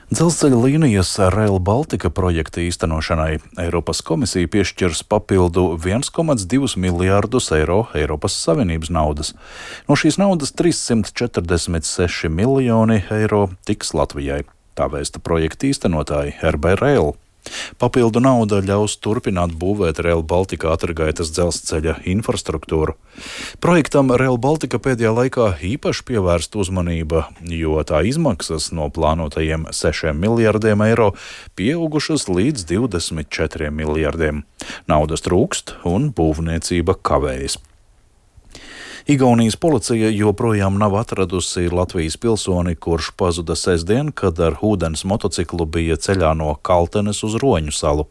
Dzelzceļa līnijas Rail Baltica projekta īstenošanai Eiropas komisija piešķirs papildu 1,2 miljārdus eiro Eiropas Savienības naudas. No šīs naudas 346 miljoni eiro tiks Latvijai. Tā vēsta projekta īstenotāji RB Rail. Papildu nauda ļaus turpināt būvēt Rail Baltica ātrgaitas dzelzceļa infrastruktūru. Projektam Rail Baltica pēdējā laikā īpaši pievērsta uzmanība, jo tā izmaksas no plānotajiem 6 miljardiem eiro pieaugušas līdz 24 miljardiem. Naudas trūkst un būvniecība kavējas. Igaunijas policija joprojām nav atradusi Latvijas pilsoni, kurš pazuda sestdien, kad ar ūdens motociklu bija ceļā no Kaltenes uz Roņu salu.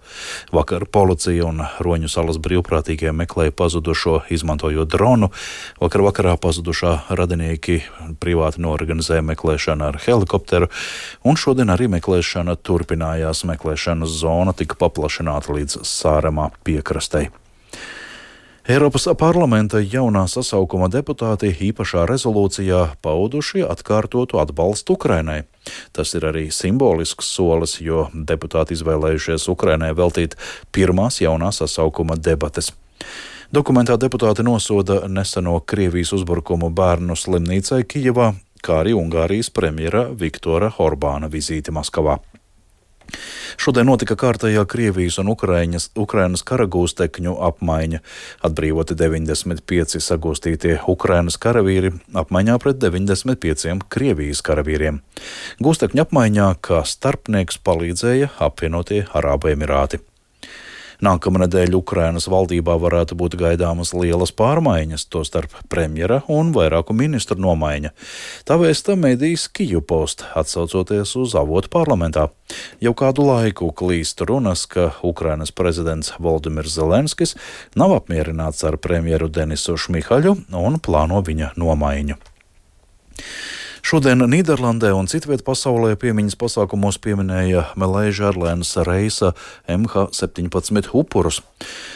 Vakar policija un Roņu salas brīvprātīgie meklēja pazudušo, izmantojot dronu. Vakarā pazudušā radinieki privāti norganizēja meklēšanu ar helikopteru, un šodien arī meklēšana turpinājās. Meklēšanas zona tika paplašināta līdz Sāremā piekrastei. Eiropas parlamenta jaunā sasaukuma deputāti īpašā rezolūcijā pauduši atkārtotu atbalstu Ukrainai. Tas ir arī simbolisks solis, jo deputāti izvēlējušies Ukrainai veltīt pirmās jaunā sasaukuma debates. Dokumentā deputāti nosoda neseno Krievijas uzbrukumu bērnu slimnīcai Kijevā, kā arī Ungārijas premjera Viktora Orbāna vizīti Maskavā. Šodien notika kārtējā Krievijas un Ukrainas karagūstekņu apmaiņa. Atbrīvoti 95 sagūstītie Ukrainas karavīri apmaiņā pret 95 Krievijas karavīriem. Gūstekņu apmaiņā kā starpnieks palīdzēja apvienotie Arābu Emirāti. Nākamnedēļ Ukrainas valdībā varētu būt gaidāmas lielas pārmaiņas, tostarp premjera un vairāku ministru nomaiņa. Tā vēsta medijs Kyiv Post, atsaucoties uz avotu parlamentā. Jau kādu laiku klīst runas, ka Ukrainas prezidents Volodimirs Zelenskis nav apmierināts ar premjeru Denisu Šmihaļu un plāno viņa nomaiņu. Šodien Nīderlandē un citviet pasaulē piemiņas pasākumos pieminēja Malaysia Airlines reisa MH17 upurus.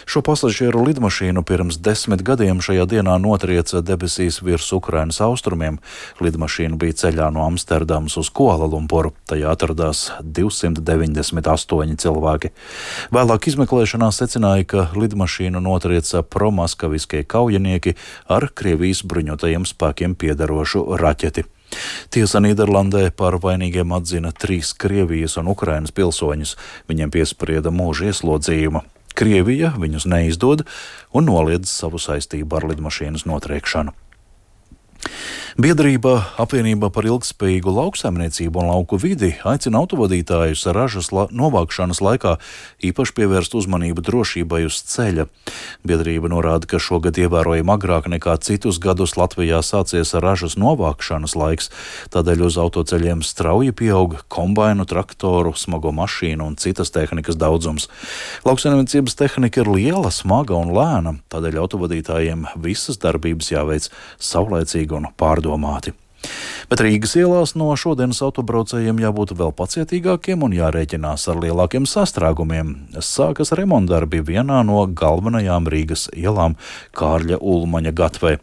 Šo pasažieru lidmašīnu pirms 10 gadiem šajā dienā notrieca debesīs virs Ukrainas austrumiem. Lidmašīna bija ceļā no Amsterdamas uz Kuala-Lumpuru. Tajā atradās 298 cilvēki. Vēlāk izmeklēšanā secināja, ka lidmašīnu notrieca promaskaviskie kaujinieki ar Krievijas bruņotajiem spēkiem piederošu raķeti. Tiesa Nīderlandē par vainīgiem atzina 3 Krievijas un Ukrainas pilsoņus. Viņiem piesprieda mūža ieslodzījumu. Krievija viņus neizdod un noliedz savu saistību ar lidmašīnas notriekšanu. Biedrība Apvienība par ilgtspējīgu lauksaimniecību un lauku vidi aicina autovadītājus ražas novākšanas laikā īpaši pievērst uzmanību drošībai uz ceļa. Biedrība norāda, ka šogad ievērojami agrāk nekā citus gadus Latvijā sācies ražas novākšanas laiks, tādēļ uz autoceļiem strauji pieaug kombainu, traktoru, smago mašīnu un citas tehnikas daudzums. Lauksaimniecības tehnika ir liela, smaga un lēna, tādēļ autovadītājiem visas darbības jāveic saulaicīgi un pārdomāti. Bet Rīgas ielās no šodienas autobraucējiem jābūt vēl pacietīgākiem un jārēķinās ar lielākiem sastrēgumiem. Sākas remontdarbi vienā no galvenajām Rīgas ielām Kārļa Ulmaņa gatvē.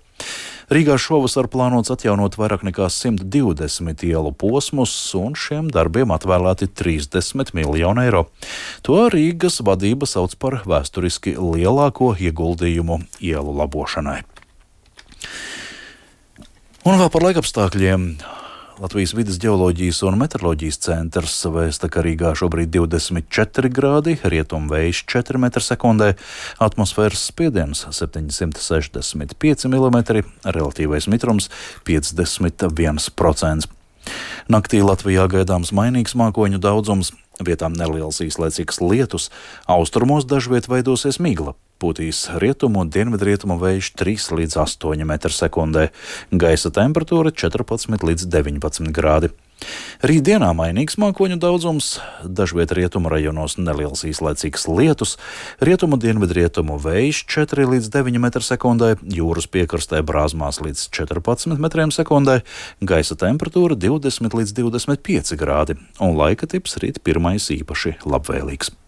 Rīgā šovasar plānots atjaunot vairāk nekā 120 ielu posmus, un šiem darbiem atvēlēti 30 miljoni eiro. To Rīgas vadība sauc par vēsturiski lielāko ieguldījumu ielu labošanai. Un vēl par laikapstākļiem. Latvijas vides ģeoloģijas un meteoroloģijas centrs vēsta, ka Rīgā šobrīd 24 grādi, rietumvējš 4 m/sekundē, atmosfēras spiediens 765 mm, relatīvais mitrums 51%. Naktī Latvijā gaidāms mainīgs mākoņu daudzums, vietām neliels īslaicīgs lietus, austrumos dažviet veidosies migla. Pūtīs rietumu un dienvidrietumu vējš 3 līdz 8 m/sekundē, gaisa temperatūra 14 līdz 19 grādi. Rītdienā mainīgs mākoņu daudzums, dažviet rietumu rajonos neliels īslaicīgs lietus, rietumu dienvidrietumu vējš 4 līdz 9 m/sekundē, jūras piekrastē brāzmās līdz 14 m/sekundē, gaisa temperatūra 20 līdz 25 grādi, un laika tips rīt pirmais īpaši labvēlīgs.